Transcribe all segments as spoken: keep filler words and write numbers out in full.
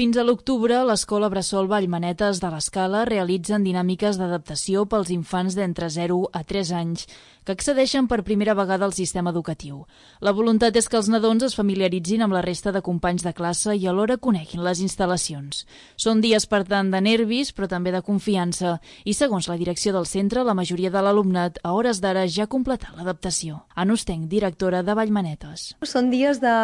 Fins a l'octubre, l'Escola Bressol Vallmanetes de l'Escala realitzen dinàmiques d'adaptació pels infants d'entre zero a tres anys que accedeixen per primera vegada al sistema educatiu. La voluntat és que els nadons es familiaritzin amb la resta de companys de classe i alhora coneguin les instal·lacions. Són dies, per tant, de nervis, però també de confiança, i segons la direcció del centre, la majoria de l'alumnat a hores d'ara ja ha completat l'adaptació. Anna Ostenc, directora de Vallmanetes. Són dies de,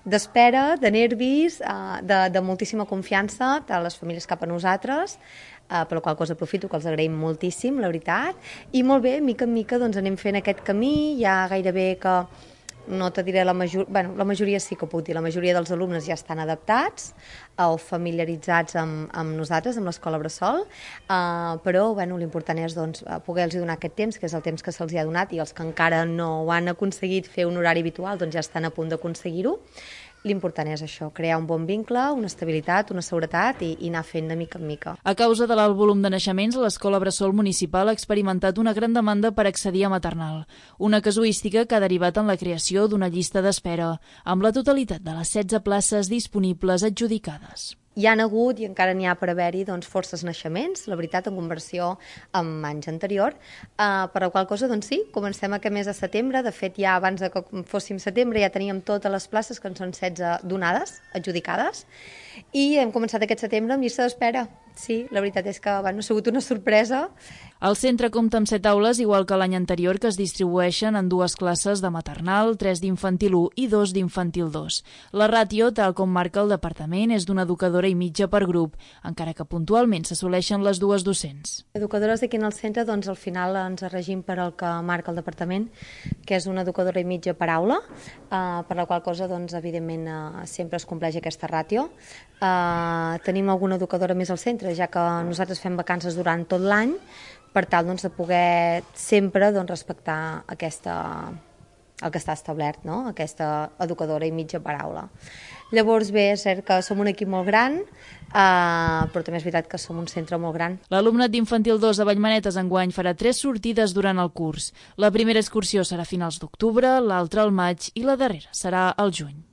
d'espera, de nervis, de, de moltíssima confiança de les famílies cap a nosaltres, eh, per la qual cosa aprofito que els agraïm moltíssim, la veritat, i molt bé, mica en mica doncs, anem fent aquest camí, ja gairebé que no te diré la majoria, bueno, la majoria sí que ho puc dir, la majoria dels alumnes ja estan adaptats o familiaritzats amb, amb nosaltres, amb l'Escola Bressol, uh, però bueno, l'important és doncs, poder-los donar aquest temps, que és el temps que se'ls ha donat, i els que encara no ho han aconseguit fer un horari habitual doncs ja estan a punt d'aconseguir-ho. L'important és això, crear un bon vincle, una estabilitat, una seguretat i, i anar fent de mica en mica. A causa de l'alt volum de naixements, l'Escola Bressol Municipal ha experimentat una gran demanda per accedir a maternal, una casuística que ha derivat en la creació d'una llista d'espera, amb la totalitat de les setze places disponibles adjudicades. Hi ha hagut i encara n'hi ha per haver-hi doncs, forces naixements, la veritat, en conversió amb anys anterior, eh, per la qual cosa, doncs sí, comencem aquest mes de setembre, de fet ja abans de que fóssim setembre ja teníem totes les places, que en són setze donades, adjudicades, i hem començat aquest setembre amb llista d'espera. Sí, la veritat és que bueno, ha sigut una sorpresa. El centre compta amb set aules, igual que l'any anterior, que es distribueixen en dues classes de maternal, tres d'infantil u i dos d'infantil dos. La ràtio, tal com marca el departament, és d'una educadora i mitja per grup, encara que puntualment s'assoleixen les dues docents. Educadores aquí en el centre, doncs al final ens regim per el que marca el departament, que és una educadora i mitja per aula, eh, per la qual cosa, doncs, evidentment, eh, sempre es compleix aquesta ràtio. Eh, tenim alguna educadora més al centre, ja que nosaltres fem vacances durant tot l'any, per tal doncs, de poder sempre doncs, respectar aquesta, el que està establert, no? Aquesta educadora i mitja paraula. Llavors bé, és cert que som un equip molt gran, eh, però també és veritat que som un centre molt gran. L'alumnat d'infantil dos de Vallmanetes enguany farà tres sortides durant el curs. La primera excursió serà a finals d'octubre, l'altra al maig i la darrera serà al juny.